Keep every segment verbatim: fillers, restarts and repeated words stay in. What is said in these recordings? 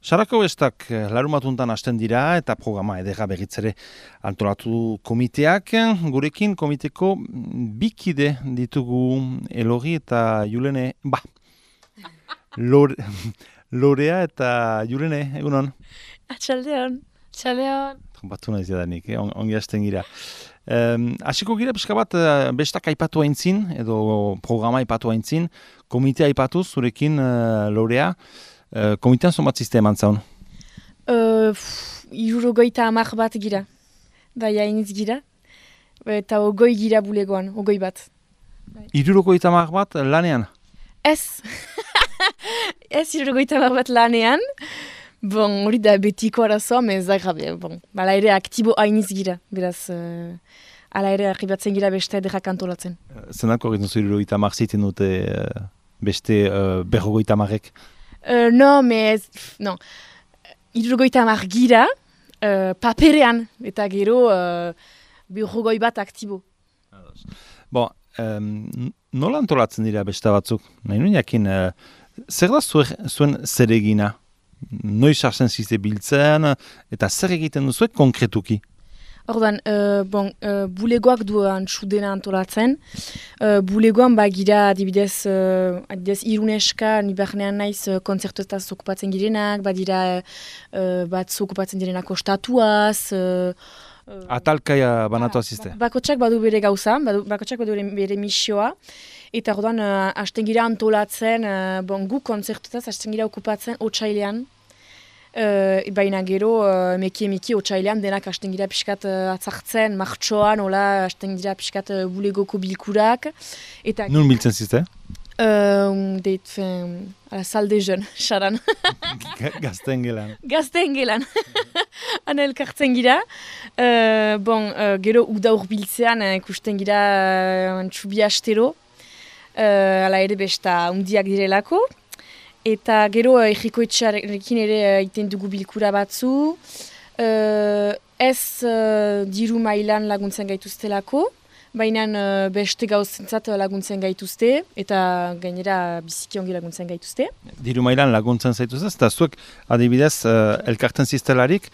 Sarako bestak larumatuntan hasten dira eta programa edera berritzere antolatu komiteak. Gurekin komiteko bikide ditugu Elorri eta Julene, ba, Lore, Lorea eta Julene, egunon? Atxaldeon. Atxaldeon. Batu nahi zadanik, eh? On, ongi hasten gira. Um, Asiko gira pixka bat bestak aipatu haintzin, edo programa aipatu haintzin, komitea aipatu zurekin uh, Lorea. Uh, komitean zonbat ziste eman zaun? Uh, Irurogoita amak bat gira. Bai, hainitz gira. Eta ogoi gira bulegoan, ogoi bat. Irurogoita amak bat lanean? Ez. Ez irurogoita amak bat lanean. Bon, hori da betiko arazoa, mezak gabe. Bon, bala ere aktibo hainitz gira. Beraz, uh, ala ere arribatzen gira beste edera kantolatzen. Uh, Zenako egiten zu irurogoita amak ziten dute uh, beste uh, berrogoita amarek? Uh, no, mais, non. Irurogoita amak gira, uh, paperean, eta gero uh, berrogoi bat aktibo. Bon, um, nola antolatzen dira beste batzuk? Nahi nuen jakin, uh, zer da zuen, zuen zer egina? Noiz hartzen zizte biltzen, eta zer egiten duzuek konkretuki? Ordan, uh, bon, uh, bulegoak duan txudena antolatzen. Uh, bulegoan bagira adibidez, uh, adibidez iruneska, nibarnean naiz uh, kontzertuetaz okupatzen girenak, badira uh, bat okupatzen direnak ostatuaz. Uh, uh, Atalkaia banatu azizte? Bakotsak badu bere gauza, badu, bakotsak badu bere, bere misioa. Eta ordan, uh, hasten gira antolatzen, uh, bon, gu kontzertuetaz hasten gira okupatzen otsailean. Uh, baina gero, uh, meki-meki otsailean denak hasten gira pixkat uh, atzartzen, martxoan, hola, hasten gira pixkat uh, bulegoko bilkurak. Eta, Nun biltzen zizte? Uh, deit, fin, ala, salde jeun, xaran. Gazten gelan. Gazten gelan. Ana elkartzen gira. Uh, bon, uh, gero uda urbiltzean uh, ikusten gira uh, txubi astero. Uh, ala ere besta undiak direlako. Eta gero egikoetxarekin ere iten dugu bilkura batzu. Uh, ez uh, diru mailan laguntzen gaituztelako, baina uh, beste gauzentzat laguntzen gaituzte, eta gainera biziki ongi laguntzen gaituzte. Diru mailan laguntzen zaituzte, eta zuek adibidez uh, elkarten ziztelarik,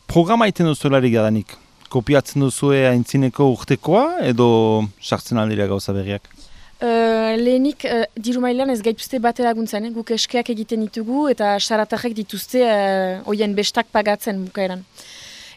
programa iten duzularik gadanik. Kopiatzen duzue aintzineko urtekoa, edo sartzen aldira gauza berriak? Uh, lehenik, uh, diru mailan ez gaituzte bate laguntzen, eh? Guk eskeak egiten ditugu eta saratarrek dituzte uh, oien bestak pagatzen bukaeran.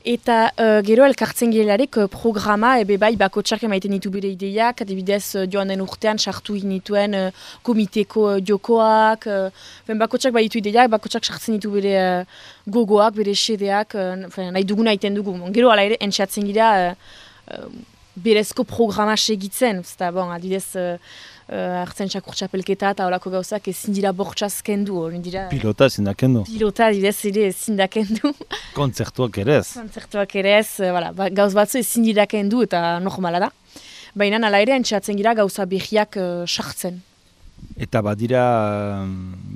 Eta uh, gero elkartzen girelarek uh, programa, ebe bai bakotsak emaiten ditu bere ideiak, adibidez uh, joan den urtean sartu ginituen uh, komiteko uh, jokoak, uh, bakotsak bai ditu ideiak, bakotsak sartzen ditu bere uh, gogoak, bere xedeak, uh, nahi duguna egiten dugu. Gero ala ere entxatzen gira uh, uh, berezko programa segitzen, eta bon, adidez uh, uh, hartzen txakur txapelketa eta horako gauzak ezin dira bortxaz kendu. Dira, pilota ezin da kendu. Pilota adidez ere ezin da kendu. Kontzertuak ere ez. Kontzertuak ere ez, uh, voilà, ba, gauz batzu ezin dira kendu eta normala da. Baina ala ere entxatzen gira gauza behiak sartzen. Uh, Eta badira,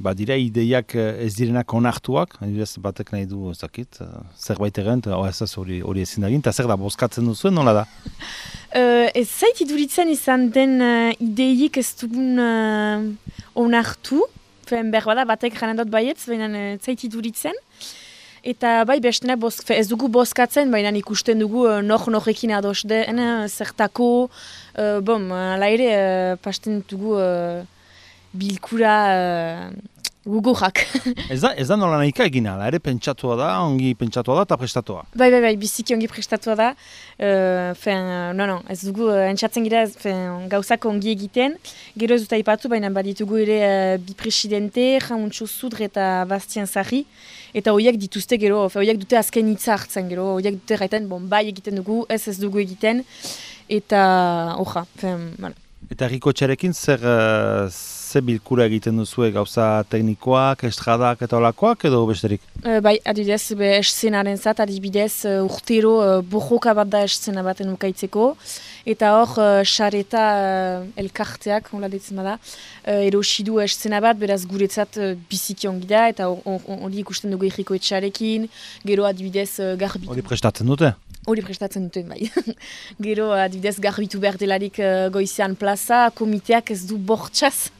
badira ideiak ez direnak onartuak, adibidez batek nahi du ezakit, zerbait egin, hori, hori ezin da egin, eta zer da, bozkatzen duzuen, nola da? Uh, ez zait iduritzen izan den uh, ideiik ez dugun uh, onartu, fen behar bada batek janen dut baietz, baina ez uh, zait iduritzen. Eta bai, bestenak ez dugu bozkatzen, baina ikusten dugu uh, nor-norrekin ados den, uh, zertako, uh, bom, ala ere, uh, pasten dugu uh, bilkura uh, gugurrak. ez da, ez da nola nahika egina, ala ere pentsatua da, ongi pentsatua da eta prestatua. Bai, bai, bai, biziki ongi prestatua da. Uh, fen, uh, no, no, ez dugu uh, entzatzen gira fen, gauzak ongi egiten. Gero ez dut aipatu, baina baditugu ere uh, bi presidente, Jauntxo Zudre eta Bastien Sarri. Eta horiek dituzte gero, horiek dute azken hitza hartzen gero, horiek dute gaiten, bon, bai egiten dugu, ez ez dugu egiten. Eta, hoja, fen, bueno. Eta Errikotxarekin zer, uh, zer bilkura egiten duzue gauza teknikoak, estradak eta olakoak edo besterik? Uh, bai, adibidez, be eszenaren zat, adibidez uh, urtero uh, borroka bat da eszena baten ukaitzeko. Eta hor, xareta uh, uh, elkarteak, hola ditzen bada, uh, erosidu eszena bat, beraz guretzat uh, biziki ongi da, eta hori ikusten dugu Errikotxarekin, gero adibidez uh, garbitu. Hori prestatzen dute? Hori prestatzen duten bai. Gero, adibidez, garbitu behar delarik uh, goizean plaza, komiteak ez du bortxaz.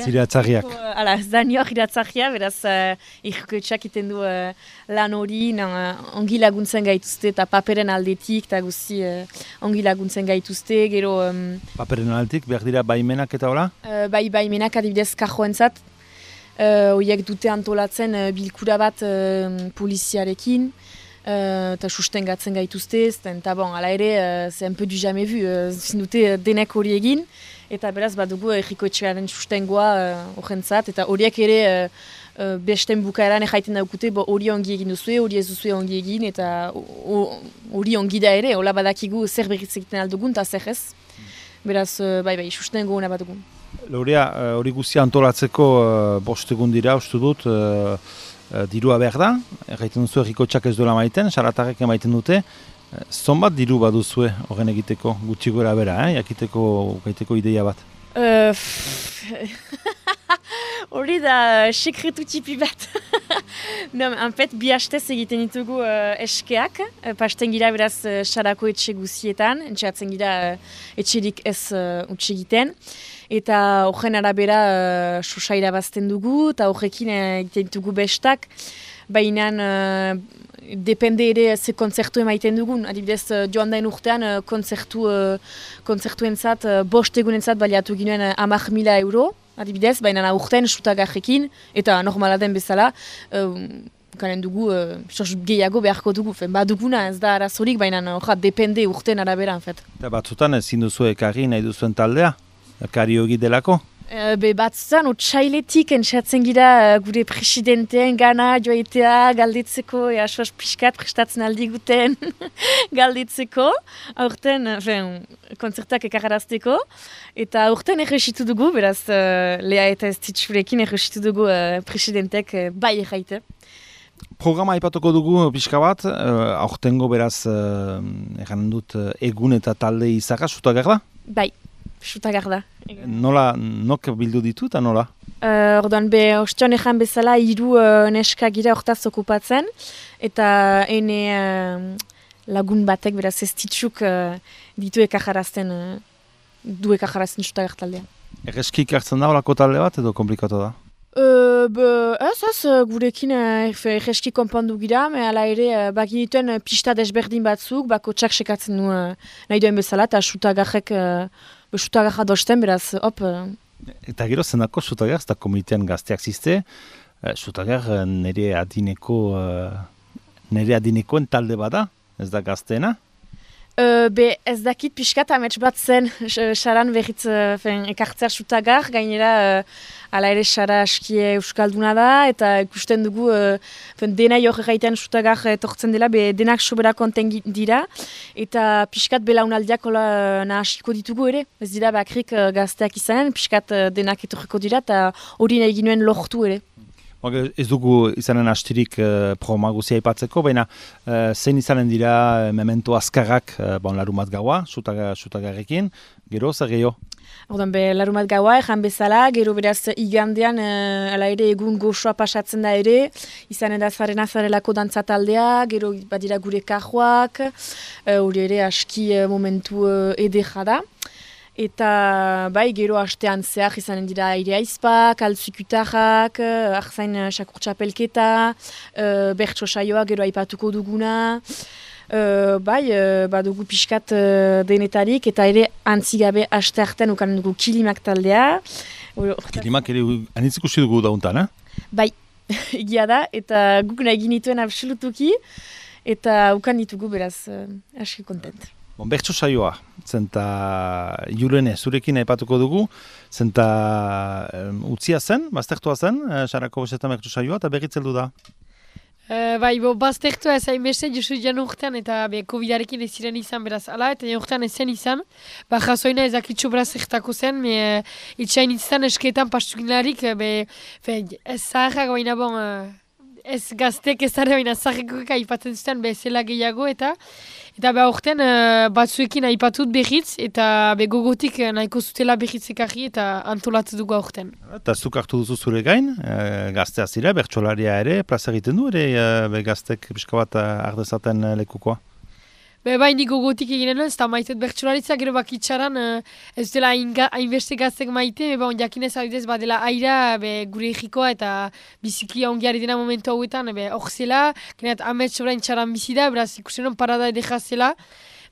Iratzarriak. Hala, ez da nior iratzarria, beraz, uh, irkoetxak iten du uh, lan hori, uh, ongi laguntzen gaituzte, eta paperen aldetik, eta guzi uh, ongi laguntzen gaituzte, gero... Um, paperen aldetik, behar dira baimenak eta hola? Uh, bai, baimenak adibidez karjoentzat, horiek uh, dute antolatzen uh, bilkura bat uh, poliziarekin, eta uh, sustengatzen gaituzte, eta bon, ala ere, uh, c'est un peu du jamais vu, uh, zindute uh, denek hori egin, eta beraz badugu errikoetxearen sustengoa horrentzat, uh, eta horiek ere uh, uh, besten bukaeran erraiten daukute, hori ongi egin duzue, hori ez duzue ongi egin, eta hori ongi da ere, hola badakigu zer berriz egiten aldugun, eta zer ez. Beraz, uh, bai bai, sustengo hona badugun. Laurea, hori uh, guztia antolatzeko uh, bost egun dira, uste dut, uh, Uh, dirua behar da, erraiten duzu errikotxak ez duela maiten, saratarrek emaiten dute. Uh, zonbat diru baduzue horren egiteko, gutxi gora bera, eh? jakiteko gaiteko ideia bat? Hori uh, da sekretu txipi bat. No, en bi hastez egiten ditugu uh, eskeak, uh, pasten gira beraz uh, sarako etxe guzietan, entxeatzen gira uh, etxerik ez uh, utxe egiten. Eta horren arabera uh, sosa irabazten dugu, eta horrekin egiten ditugu bestak, baina uh, depende ere ze kontzertu emaiten dugun. Adibidez, uh, joan dain urtean uh, kontzertu, uh, kontzertuentzat, uh, bost egunentzat baliatu ginoen uh, hamar mila euro, adibidez, baina urtean sutagarrekin, eta normala den bezala, uh, karen dugu, uh, gehiago beharko dugu, fen, baduguna ez da arazorik, baina uh, depende urtean arabera. Eta batzutan ezin duzu ekarri nahi duzuen taldea? Kariogi delako? Uh, be batzutan, otxailetik entxatzen gira uh, gure presidenteen gana joaitea galditzeko, ea soaz pixkat prestatzen aldi guten galditzeko, aurten, uh, konzertak ekarrazteko, eta aurten erresitu dugu, beraz uh, Lea eta ez ditxurekin erresitu dugu uh, presidentek uh, bai erraite. Programa aipatuko dugu pixka bat, uh, aurtengo beraz, uh, egan dut, uh, egun eta talde izaka, zutagar da? Bai. Sutagar da. Nola, nok bildu ditu eta nola? Uh, orduan, be, ostion ejan bezala, hiru uh, neska gira hortaz okupatzen, eta ene uh, lagun batek, beraz ez ditxuk uh, ditu ekajarazten, uh, du ekajarazten Sutagar taldea. Erreskik hartzen da horako talde bat edo komplikatu da? Uh, be, ez, ez, gurekin uh, erreski konpondu gira, me ala ere uh, bagi dituen uh, pista desberdin batzuk, bako txak sekatzen du uh, nahi duen bezala, eta Sutagarrek uh, Sutagarra dosten, beraz, hop. Uh... Eta gero zenako Sutagar, ez da komitean gazteak ziste, uh, Sutagar uh, nire adineko, uh, nire adinekoen talde bada, ez da gazteena? Uh, be ez dakit pixkat amets bat zen saran berriz uh, ekartzea Sutagar, gainera uh, ala ere sara askie euskalduna da, eta ikusten dugu uh, dena jok egiten Sutagar etortzen dela, be denak sobera konten dira, eta pixkat belaunaldiak hola uh, nahasiko ditugu ere, ez dira bakrik uh, gazteak izanen, pixkat uh, denak etorriko dira, eta hori nahi ginuen lortu ere. Ez dugu izanen astirik uh, programa guzia aipatzeko, baina uh, zein izanen dira uh, memento azkarrak uh, bon, larumat gaua, Sutagarrekin, gero, zer gehiago? Ordan be, larumat gaua, ejan bezala, gero beraz igandean, uh, ala ere egun goxoa pasatzen da ere, izanen da zaren azarelako dantzataldea, gero badira gure kajoak, hori uh, ere aski uh, momentu uh, edera da. Eta bai, gero hastean zehar izanen dira aire aizpak, altzikutarrak, arzain sakurtxapelketa, uh, bertso saioa gero aipatuko duguna. Uh, bai, uh, badugu pixkat uh, denetarik, eta ere antzigabe haste hartan ukanen dugu kilimak taldea. Kilimak ere anitzik usi dugu dauntan, eh? Bai, egia da, eta guk nahi ginituen absolutuki, eta ukan ditugu beraz, uh, aski kontent. Bon, bertso saioa, zenta Julene zurekin aipatuko dugu, zenta um, utzia zen, baztertua zen, uh, sarako besetan bertso saioa, eta berritzeldu da. Uh, bai, bo, baztertua ez hain beste, josu jan urtean, eta be, kovidarekin ez ziren izan beraz, ala, eta jan urtean ez zen izan, ba, jasoina ezakitxo beraz zertako zen, me, uh, itxain izan eskeetan pastukinlarik, be, fe, ez zaharrak baina bon, uh, ez gaztek ez dara baina zaharrekoek aipatzen zuten, be, zela gehiago, eta Eta beha urtean uh, batzuekin aipatut berriz, eta be gogotik uh, nahiko zutela berriz ekarri eta antolatu dugu urtean. Eta zuk hartu duzu zure gain, uh, gaztea zira, bertsolaria ere, plaza egiten du ere, uh, be gaztek pixka bat uh, ardezaten uh, lekukoa? Be bai niko gotik eginen ez, eta maitet bertsularitza, gero bakitsaran ez dela hainbeste gaztek maite, be bon jakinez adidez badela aira be, gure egikoa eta biziki ongiari dena momentu hauetan, be hor zela, geneat amets orain txaran bizida, beraz ikusenon parada edeka zela,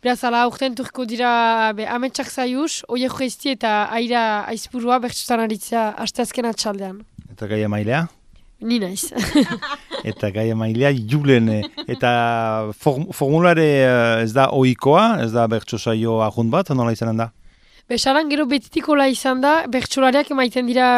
beraz ala aurten turko dira be, ametsak zaiuz, oie joezti eta aira aizpurua bertsularitza asteazken atxaldean. Eta gai emailea? Ni naiz. Eta gai emailea Julen. Eta form, formulare ez da ohikoa, ez da bertso saio ajunt bat, nola izanen da? Besaran gero betitikola izan da, bertsolariak emaiten dira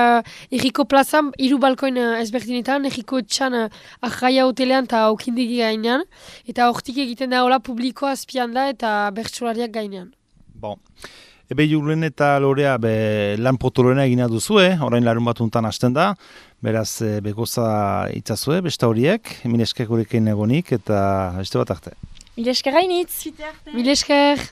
Erriko plazan, hiru balkoin ezberdinetan, Erriko etxan ahaia hotelean eta aukindegi gainean, eta hortik egiten da hola publikoa azpian da eta bertsolariak gainean. Bon. Ebe Julen eta Lorea be, lan potoloena egina duzue, orain larun batuntan hasten da, beraz begoza itzazue, besta horiek, mileskak horrekin egonik eta beste bat arte. Mileskak gainitz! Mileskak!